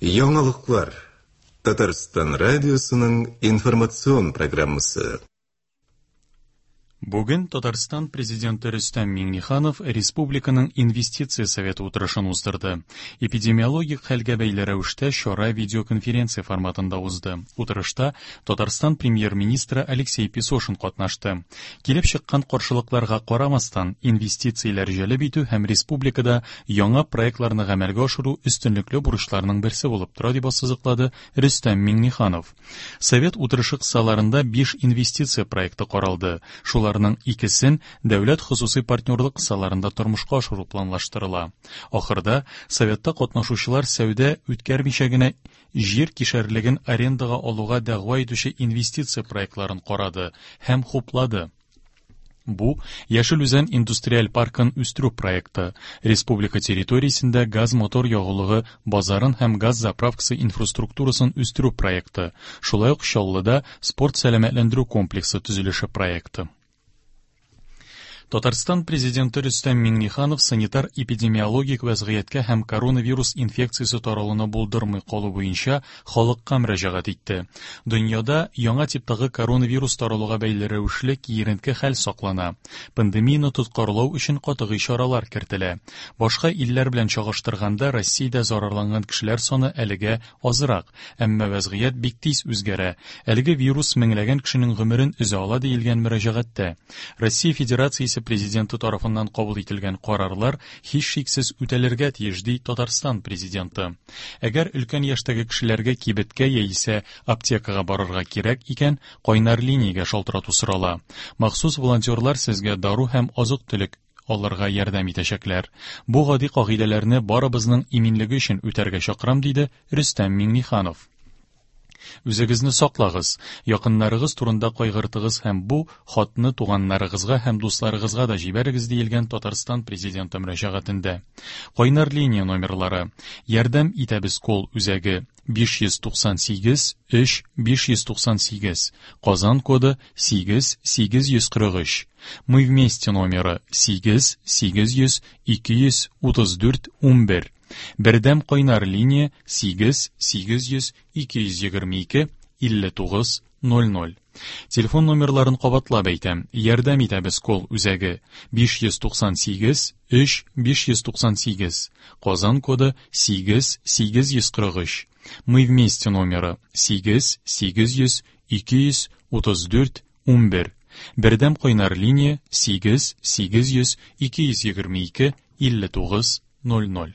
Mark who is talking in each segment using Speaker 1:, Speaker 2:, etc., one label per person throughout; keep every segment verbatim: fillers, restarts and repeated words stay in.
Speaker 1: Яңалыклар. Татарстан радиосының информацион программасы.
Speaker 2: Бүген Татарстан президенты Рөстәм Миңнеханов республиканың инвестиция советы утырышын уздырды. Эпидемиологик хәлгә бәйле рәвештә чара видеоконференция форматында узды. Утырышта Татарстан премьер-министры Алексей Песошин катнашты. Килеп чыккан каршылыкларга карамастан, инвестицияләр җәлеп итү һәм республикада яңа проектларны гамәлгә ашыру өстенлекле бурычларның берсе булып тора, дип ассызыклады Рөстәм Миңнеханов. Совет утырышы кысаларында биш инвестиция проекты каралды. Шулар икесен дәүләт хосусый партнерлык кысаларында тормышка ашыру планлаштырыла. Ахырда советта катнашучылар сәүдә үткәрмичә генә җир кишәрлеген арендага алуга дәгъва итүче инвестиция проектларын карады һәм хуплады. Бу Яшел Үзән индустриаль паркын үстерү проекты, республика территориясендә газ-мотор ягулыгы базарын һәм газ заправкасы инфраструктурасын үстерү проекты, шулай ук Чаллыда спорт сәламәтләндерү комплексы төзелеше проекты. Татарстан президенты Рөстәм Миңнеханов санитар-эпидемиологик вәзгыятькә һәм коронавирус инфекциясе таралуны булдырмый калу буенча халыкка мөрәҗәгать итте. Дөньяда яңа типтагы коронавирус таралуга бәйле рәвешле киеренке хәл саклана. Пандемияне тоткарлау өчен катгый чаралар кертелә. Башка илләр белән чагыштырганда Россиядә зарарланган кешеләр саны әлегә азрак, әмма вәзгыять бик тиз үзгәрә. Әлеге вирус меңләгән кешенең гомерен өзә ала диелгән мөрәҗәгатьтә. Россия Федерациясе президенты тарафыннан кабул ителгән карарлар һичшиксез үтәлергә тиеш, ди Татарстан президенты. Әгәр өлкән яшьтәге кешеләргә кибеткә яисә аптекага барырга кирәк икән, кайнар линиягә шалтырату сорала. Махсус волонтерлар сезгә дару һәм азык-төлек алырга ярдәм итәчәкләр. Бу гади кагыйдәләрне барыбызның иминлеге өчен үтәргә чакырам, диде Рөстәм Миңнеханов. Үзегезне саклагыз, якыннарыгыз турында кайгыртыгыз һәм бу хатны туганнарыгызга һәм дусларыгызга да җибәрегез, диелгән Татарстан президенты мөрәҗәгатендә. Кайнар линия номерлары: Ярдәм итәбез кол үзәге биш йөз туксан сигез өч биш йөз туксан сигез, Казан коды сигез сигез йөз кырык өч. Мы вместе номеры сигез сигез йөз ике йөз утыз дүрт унбер. Бердәм кайнар линия сигез сигез йөз ике йөз егерме ике илле тугыз ноль ноль. Телефон номерларын кабатлап әйтәм. Ярдәм итәбез кол үзәге биш йөз туксан сигез өч биш йөз туксан сигез, Казан коды сигез сигез йөз кырык өч. Мы вместе номеры сигез сигез йөз ике йөз утыз дүрт унбер. Бердәм кайнар линия сигез сигез йөз ике йөз егерме ике илле тугыз ноль ноль.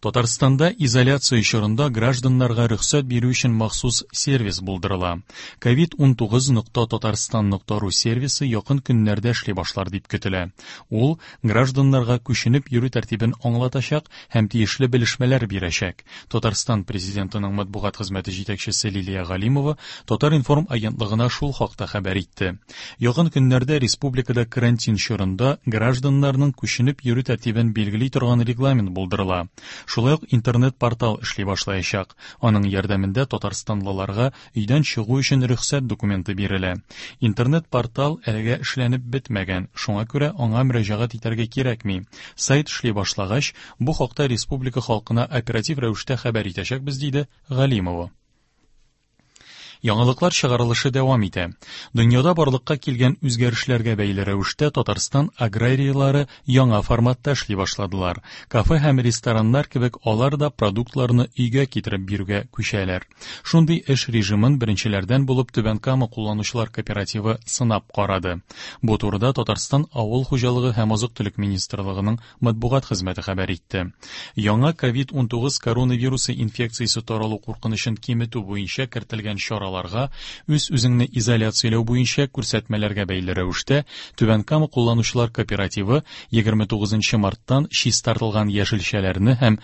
Speaker 2: Татарстанда изоляция чорында гражданнарга рөхсәт бирү өчен махсус сервис булдырыла. ковид унтугыз нокта татарстан нокта ру сервисы якын көннәрдә эшли башлар дип көтелә. Ул гражданнарга күченеп йөрү тәртибен аңлатачак һәм тиешле белешмәләр бирәчәк. Татарстан президентының матбугат хезмәте җитәкчесе Лилия Галимова Татар-информ агентлыгына шул хакта хәбәр итте. Якын көннәрдә республикада карантин чорында гражданнарның күченеп йөрү тәртибен билгели торган регламент булдырыла. Шулай ук интернет-портал эшли башлаячак. Аның ярдәмендә татарстанлыларга өйдән чыгу өчен рөхсәт документы бирелә. Интернет-портал әлегә эшләнеп бетмәгән, шуңа күрә аңа мөрәҗәгать итәргә кирәкми. Сайт эшли башлагач, бу хакта республика халкына оператив рәвештә хәбәр итәчәкбез, диде Галимова. Яңалыклар чыгарылышы дәвам итә. Дөньяда барлыкка килгән үзгәрешләргә бәйле рәвештә Татарстан аграрийлары яңа форматта эшли башладылар. Кафе һәм рестораннар кебек алар да продуктларны өйгә китереп бирүгә күчәләр. Шундый эш режимын беренчеләрдән булып Түбән Кама кулланучылар кооперативы сынап карады. Бу турыда Татарстан Авыл хуҗалыгы һәм азык-төлек министрлыгының матбугат хезмәте хәбәр итте. Яңа ковид унтугыз коронавирусы инфекциясе таралу куркынычын киметү буенча кертелгән чаралар үз-үзеңне изоляцияләү буенча күрсәтмәләргә бәйле рәвештә Түбән Кама кулланучылар кооперативы егерме тугызынчы марттан чистартылган яшелчәләрне һәм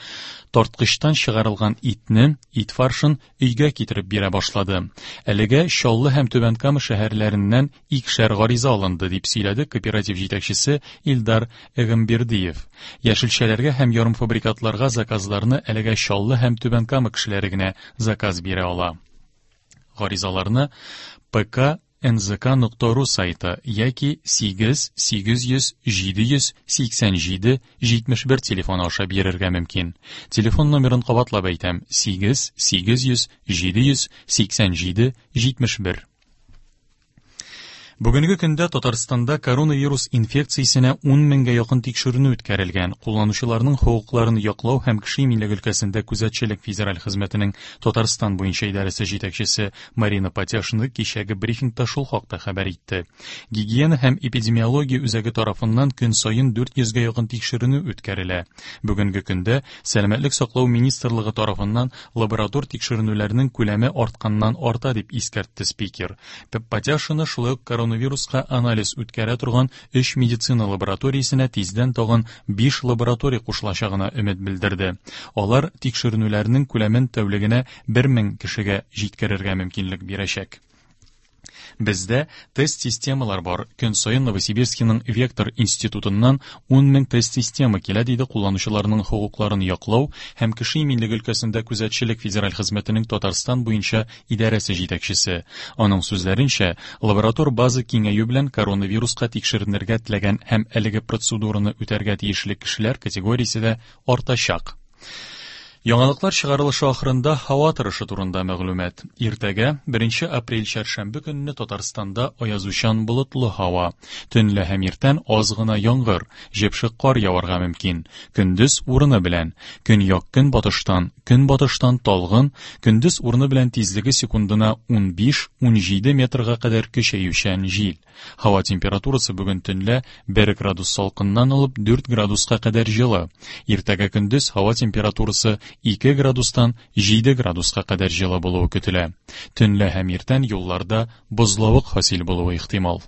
Speaker 2: тарткычтан чыгарылган итне, ит фаршын өйгә китереп бирә башлады. Әлегә Чаллы һәм Түбән Кама шәһәрләреннән икешәр гариза алынды, дип сөйләде кооператив җитәкчесе Илдар Эгембердиев. Яшелчәләргә һәм ярымфабрикатларга заказларны әлегә Чаллы һәм Түбән Кама кешеләре генә заказ бирә ала. Гаризаларны П К эн зэ ка нокта ру сайты яки сигез сигез йөз җиде йөз сиксән җиде җитмеш бер телефоны аша бирергә мөмкин. Телефон номерын кабатлап әйтәм: сигез сигез йөз җиде йөз сиксән җиде җитмеш бер. Бүгенге көндә Татарстанда коронавирус инфекциясенә ун меңгә якын тикшеренү үткәрелгән. Кулланучыларның хокукларын яклау һәм кеше иминлеге өлкәсендә күзәтчелек федераль хезмәтенең Татарстан буенча идарәсе җитәкчесе Марина Патяшина кичәге брифингта шул хакта хәбәр итте. Гигиена һәм эпидемиология үзәге тарафыннан көн саен дүрт йөзгә якын тикшеренү үткәрелә. Бүгенге көндә Сәламәтлек саклау министрлыгы тарафыннан лаборатор тикшеренүләрнең күләме артканнан арта дип искәртте спикер. Патяшина шулай ук коронавируска анализ үткәрә торган өч медицина лабораториясенә тиздән тагын биш лаборатория кушылачагына өмет белдерде. Алар тикшеренүләрнең күләмен тәүлегенә бер мең кешегә җиткерергә мөмкинлек бирәчәк. Бездә тест-системалар бар. Көн саен Новосибирскиның Вектор институтыннан ун мең тест-система килә, диде кулланучыларның хокукларын яклау һәм кеше иминлеге өлкәсендә күзәтчелек федераль хезмәтенең Татарстан буенча идарәсе җитәкчесе. Аның сүзләренчә, лаборатор база киңәю белән коронавируска тикшеренергә теләгән һәм әлеге процедураны үтәргә тиешле кешеләр категориясе дә артачак. Яңалыклар чыгарылышы ахырында һава торышы турында мәгълүмат. Иртәгә, беренче апрель чәршәмбе көнне Татарстанда аязучан болытлы һава. Төнлә һәм иртән аз гына яңгыр, җепшек кар яварга мөмкин. Көндез урыны белән, көньяк көнбатыштан, көнбатыштан талгын, көндез урыны белән тизлеге секундына ун биш-ун җиде метрга кадәр көчәючән җил. Һава температурасы бүген төнлә бер градус салкыннан алып дүрт градуска кадәр җылы. Иртәгә көндез һава температурасы ике градустан җиде градуска кадәр җылы булуы көтелә. Төнлә һәм иртән юлларда бозлавык хасил булуы ихтимал.